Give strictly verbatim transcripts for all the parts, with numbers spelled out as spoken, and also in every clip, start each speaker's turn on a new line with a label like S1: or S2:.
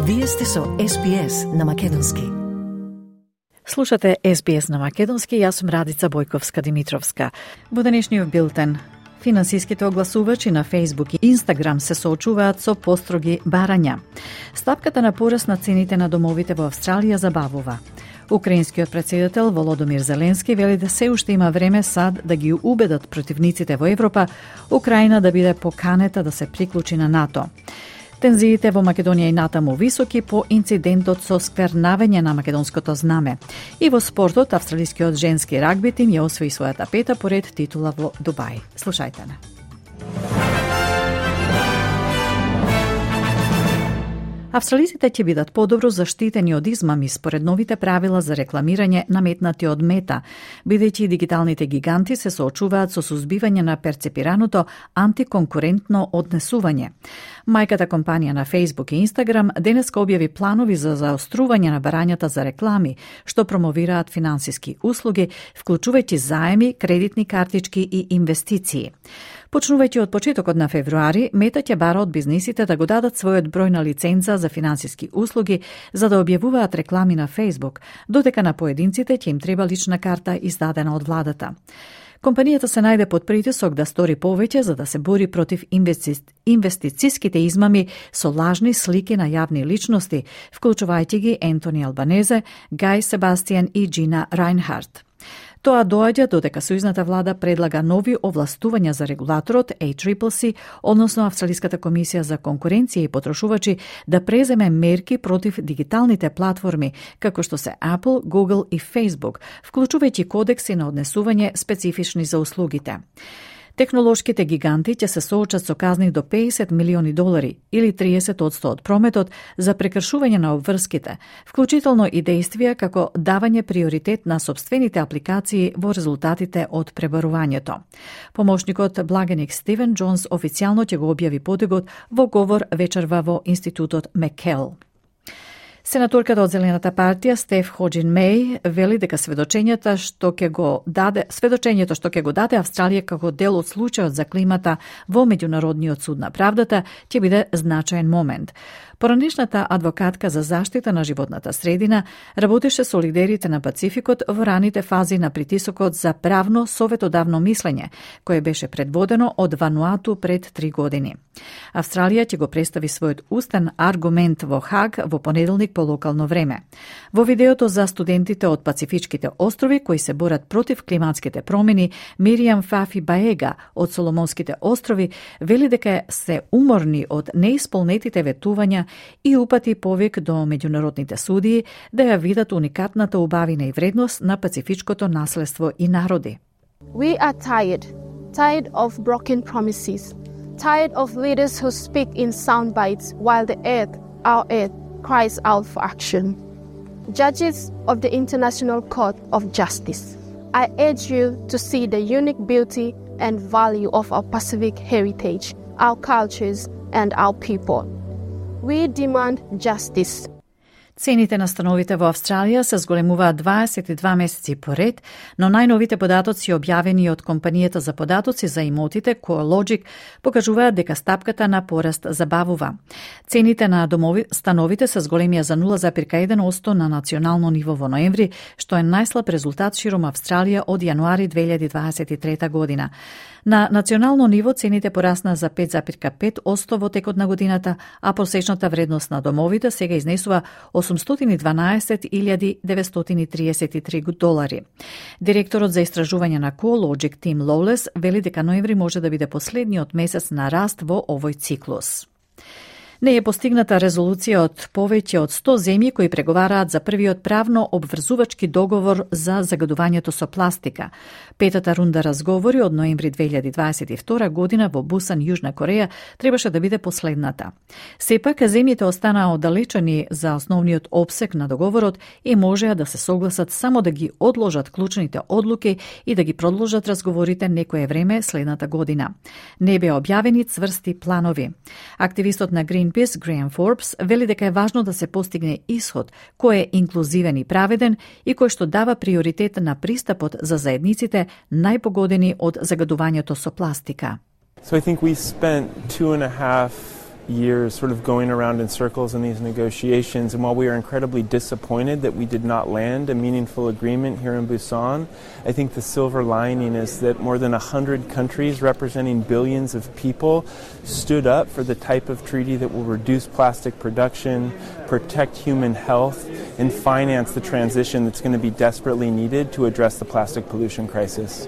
S1: Вие сте со Ес Би Ес на Македонски.
S2: Слушате Ес Би Ес на Македонски, јас сум Радица Бојковска-Димитровска. Во денешниот билтен, финансиските огласувачи на Facebook и Instagram се соочуваат со построги барања. Стапката на пораст на цените на домовите во Австралија забавува. Украинскиот претседател Володомир Зеленски вели да се уште има време сад да ги убедат противниците во Европа Украина да биде поканета да се приклучи на НАТО. Тензиите во Македонија и натаму високи по инцидентот со сквернавање на македонското знаме. И во спортот, австралискиот женски рагби тим ја освои својата пета поред титула во Дубај. Слушајте на. Австралиците ќе бидат подобро заштитени од измами според новите правила за рекламирање наметнати од Мета, бидејќи дигиталните гиганти се соочуваат со сузбивање на перцепираното антиконкурентно однесување. Мајката компанија на Facebook и Instagram денеска објави планови за заострување на барањата за реклами, што промовираат финансиски услуги, вклучувајќи заеми, кредитни картички и инвестиции. Почнувајќи од почетокот на февруари, Мета ќе бара од бизнисите да го дадат својот број на лиценца за финансиски услуги за да објавуваат реклами на Facebook, додека на поединците ќе им треба лична карта издадена од владата. Компанијата се најде под притисок да стори повеќе за да се бори против инвести... инвестициските измами со лажни слики на јавни личности, вклучувајќи ги Ентони Албанезе, Гај Себастијан и Джина Рајнхард. Тоа доаѓа додека сојузната влада предлага нови овластувања за регулаторот А Си Си Си, односно Австралиската комисија за конкуренција и потрошувачи, да преземе мерки против дигиталните платформи, како што се Apple, Google и Facebook, вклучувајќи кодекси на однесување специфични за услугите. Технолошките гиганти ќе се соочат со казни до педесет милиони долари или триесет одсто од прометот за прекршување на обврските, вклучително и действија како давање приоритет на сопствените апликации во резултатите од пребарувањето. Помошникот благеник Стивен Джонс официјално ќе го објави подигот во говор вечерва во Институтот Мекел. Сенаторката од Зелената партија Стеф Хоџин Меј вели дека сведочењето што ќе го даде сведочењето што ќе го даде Австралија како дел од случајот за климата во меѓународниот суд на правдата ќе биде значаен момент. Поранешната адвокатка за заштита на животната средина работеше со лидерите на Пацификот во раните фази на притисокот за правно советодавно мислење, кое беше предводено од Вануату пред три години. Австралија ќе го представи својот устен аргумент во Хаг во понеделник по локално време. Во видеото за студентите од Пацифичките острови кои се борат против климатските промени, Миријам Фафи Баега од Соломонските острови вели дека се уморни од неисполнетите ветувања и упати повик до меѓународните судии да ја видат уникатната убавина и вредност на пацифичкото наследство и народи.
S3: We are tired, tired of broken promises, tired of leaders who speak in sound bites while the earth, our earth, cries out for action. Judges of the International Court of Justice, I urge you to see the unique beauty and value of our Pacific heritage, our cultures, and our people. We demand justice.
S2: Цените на становите во Австралија се зголемуваат дваесет и два месеци поред, но најновите податоци објавени од компанијата за податоци за имотите CoreLogic покажуваат дека стапката на пораст забавува. Цените на домови становите се зголемија за нула зарез еден одсто на национално ниво во ноември, што е најслаб резултат широм Австралија од јануари две илјади дваесет и трета година. На национално ниво цените порасна за пет зарез пет одсто во текот на годината, а просечната вредност на домовите сега изнесува осумстотини и дванаесет илјади деветстотини триесет и три долари. Директорот за истражување на CoreLogic Тим Лоулес вели дека ноември може да биде последниот месец на раст во овој циклус. Не е постигната резолуција од повеќе од сто земји кои преговараат за првиот правно обврзувачки договор за загадувањето со пластика. Петата рунда разговори од ноември две илјади дваесет и втора година во Бусан, Јужна Кореја, требаше да биде последната. Сепак, земјите останаа оддалечени за основниот опсек на договорот и можеа да се согласат само да ги одложат клучните одлуки и да ги продолжат разговорите некое време следната година. Не беа објавени цврсти планови. Активистот на Green Greenpeace Греем Форбс вели дека е важно да се постигне исход кој е инклузивен и праведен и кој што дава приоритет на пристапот за заедниците најпогодени од загадувањето со пластика.
S4: So I think we spent two and a half years sort of going around in circles in these negotiations, and while we are incredibly disappointed that we did not land a meaningful agreement here in Busan, I think the silver lining is that more than one hundred countries representing billions of people stood up for the type of treaty that will reduce plastic production, protect human health, and finance the transition that's going to be desperately needed to address the plastic pollution crisis.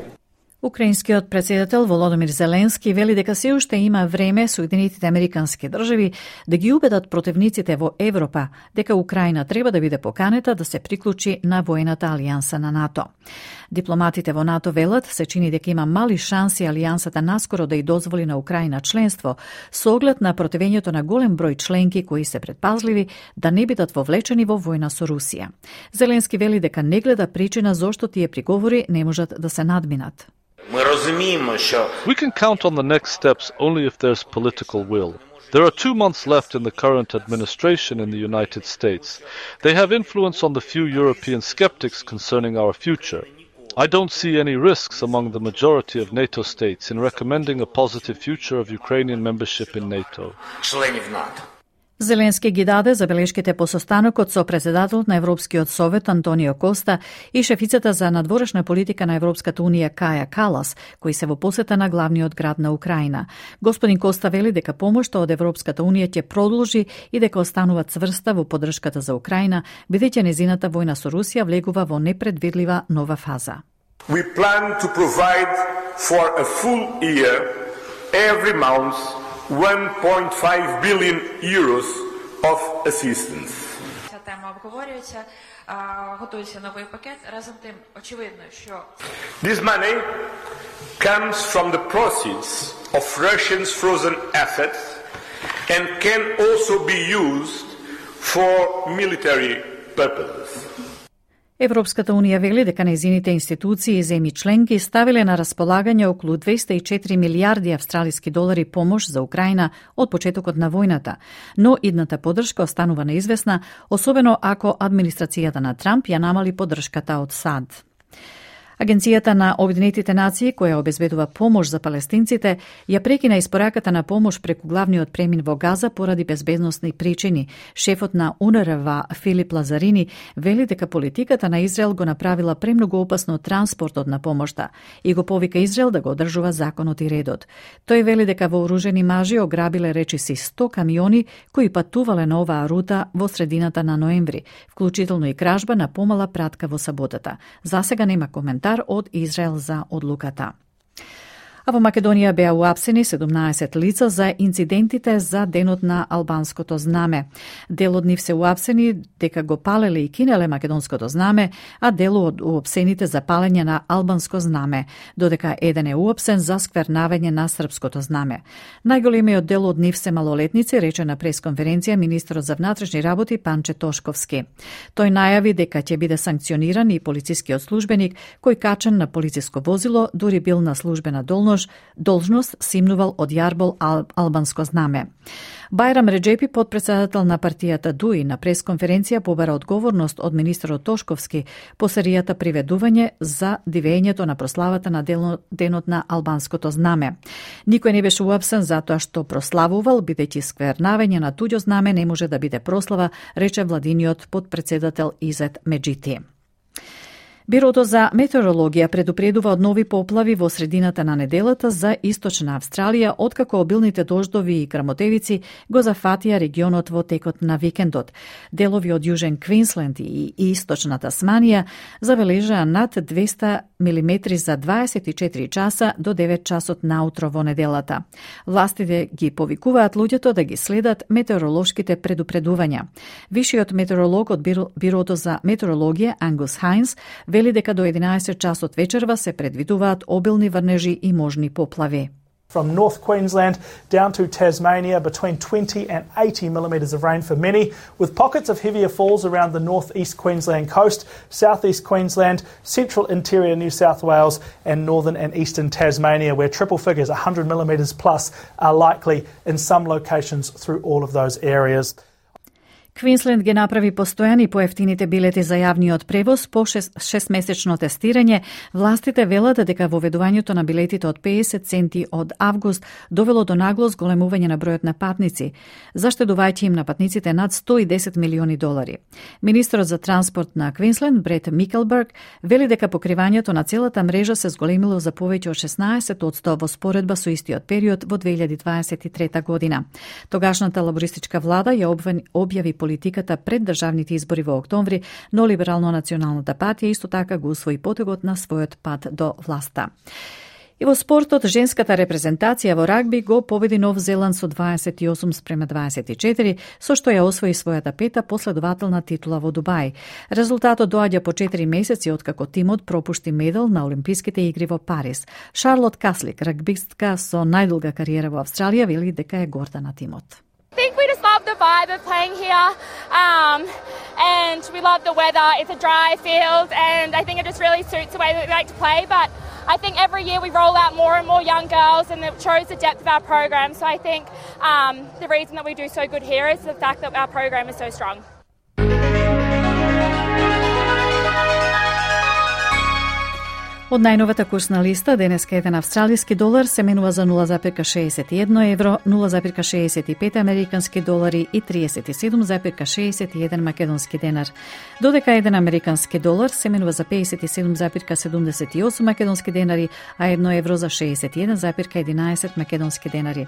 S2: Украинскиот председател Володимир Зеленски вели дека се уште има време Соединетите Американски држави да ги убедат противниците во Европа дека Украина треба да биде поканета да се приклучи на воената алијанса на НАТО. Дипломатите во НАТО велат се чини дека има мали шанси алијансата наскоро да ја дозволи на Украина членство, со оглед на противењето на голем број членки кои се предпазливи да не бидат вовлечени во војна со Русија. Зеленски вели дека не гледа причина зошто тие приговори не можат да се надминат.
S5: We can count on the next steps only if there's political will. There are two months left in the current administration in the United States. They have influence on the few European skeptics concerning our future. I don't see any risks among the majority of NATO states in recommending a positive future of Ukrainian membership in NATO.
S2: Зеленски ги даде забелешките по состанокот со председателот на Европскиот совет Антонио Коста и шефицата за надворешна политика на Европската унија Каја Калас, кои се во посета на главниот град на Украина. Господин Коста вели дека помошта од Европската унија ќе продолжи и дека останува цврста во поддршката за Украина, бидејќи незината војна со Русија влегува во непредвидлива нова фаза.
S6: We plan to provide for a full year every month one point five billion euros of assistance.
S7: Ця тема обговорюється, готується новий пакет. Разом тим, очевидно, що
S6: This money comes from the proceeds of Russians' frozen assets and can also be used for military purposes.
S2: Европската унија вели дека нејзините институции и земји членки ставиле на располагање околу двесте и четири милијарди австралиски долари помош за Украина од почетокот на војната, но идната поддршка останува неизвестна, особено ако администрацијата на Трамп ја намали поддршката од САД. Агенцијата на Обединетите нации, која обезбедува помош за палестинците, ја прекина испораката на помош преку главниот премин во Газа поради безбедносни причини. Шефот на УНРВА Филип Лазарини вели дека политиката на Израел го направила премногу опасно транспортот на помошта и го повика Израел да го одржува законот и редот. Тој вели дека вооружени мажи ограбиле речиси сто камиони кои патувале на оваа рута во средината на ноември, вклучително и кражба на помала пратка во саботата. Засега нема коментар од Израел за одлуката. А во Македонија беа уапсени седумнаесет лица за инцидентите за денот на албанското знаме. Дел од нив се уапсени дека го палеле и кинеле македонското знаме, а дел од уапсените за палење на албанско знаме, додека еден е уапсен за сквернавање на српското знаме. Најголемиот дел од нив се малолетници, рече на пресконференција министерот за внатрешни работи Панче Тошковски. Тој најави дека ќе биде санкциониран и полицискиот службеник кој качен на полициско возило, дури бил на службена должност должност симнувал од јарбол ал, албанско знаме. Бајрам Реджепи, подпредседател на партијата ДУИ, на пресконференција побара одговорност од министерот Тошковски по серијата приведување за дивењето на прославата на денот на албанското знаме. Никој не беше уапсен затоа што прославувал, бидејќи сквернавање на туѓо знаме не може да биде прослава, рече владиниот подпредседател Изет Меджити. Бирото за метеорологија предупредува од нови поплави во средината на неделата за источна Австралија, откако обилните дождови и грамотевици го зафатија регионот во текот на викендот. Делови од Јужен Квинсленд и источна Тасманија забележаа над двесте милиметри за дваесет и четири часа до девет часот наутро во неделата. Властите ги повикуваат луѓето да ги следат метеоролошките предупредувања. Вишиот метеоролог од Бирото за метеорологија Ангус Хайнс вели дека до единаесет часот вечерва се предвидуваат обилни врнежи и можни поплави.
S8: From North Queensland down to Tasmania, between twenty and eighty millimetres of rain for many, with pockets of heavier falls around the north-east Queensland coast, south-east Queensland, central interior New South Wales and northern and eastern Tasmania, where triple figures, one hundred millimetres plus, are likely in some locations through all of those areas.
S2: Квинсленд ги направи постојани поевтините билети за јавниот превоз по шестмесечно тестирање. Властите велат дека воведувањето на билетите од педесет центи од август довело до нагло зголемување на бројот на патници, заштедувајќи им на патниците над сто и десет милиони долари. Министерот за транспорт на Квинсленд, Брет Микелберг, вели дека покривањето на целата мрежа се зголемило за повеќе од шеснаесет одсто во споредба со истиот период во две илјади дваесет и трета година. Тогашната лабористичка влада ја објави политиката пред државните избори во октомври, но Либерално-националната партија исто така го усвои потегот на својот пат до власта. И во спортот, женската репрезентација во рагби го победи Нов Зеланд со дваесет и осум спрема дваесет и четири, со што ја освои својата пета последователна титула во Дубај. Резултатот доаѓа по четири месеци откако тимот пропушти медал на Олимписките игри во Париз. Шарлот Каслик, рагбистка со најдолга кариера во Австралија, вели дека е горда на тимот.
S9: I think we just love the vibe of playing here, um, and we love the weather. It's a dry field, and I think it just really suits the way that we like to play. But I think every year we roll out more and more young girls, and it shows the depth of our program. So I think um, the reason that we do so good here is the fact that our program is so strong.
S2: Од најновата курсна листа, денеска еден австралиски долар се менува за нула запирка шеесет и едно евро, нула запирка шеесет и пет американски долари и триесет и седум запирка шеесет и еден македонски денар. Додека еден американски долар се менува за пеесет и седум запирка седумдесет и осум македонски денари, а едно евро за шеесет и еден запирка единаесет македонски денари.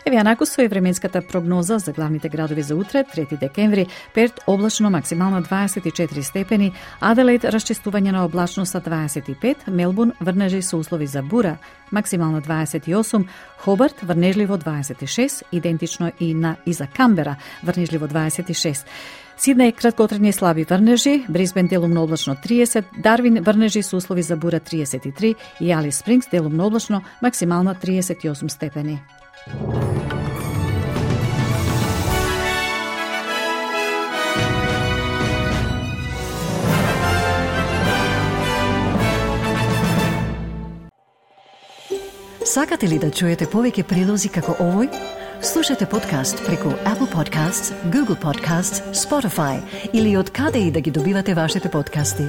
S2: Еве анакусо е временската прогноза за главните градови за утре, трети декември. Перт облачно, максимално дваесет и четири степени, Аделаид расчистување на облачно са дваесет и пет, Мелбурн врнежи со услови за бура, максимално дваесет и осум, Хобарт врнежливо дваесет и шест, идентично и на и за Камбера врнежливо дваесет и шест. Сиднеј краткотрајни слаби врнежи, Брисбен делумно облачно триесет, Дарвин врнежи со услови за бура триесет и три и Алис Спрингс делумно облачно, максимално триесет и осум степени.
S1: Сакате ли да чуете повеќе прилози како овој? Слушате подкаст преку Apple Podcasts, Google Podcasts, Spotify или од каде и да ги добивате вашите подкасти.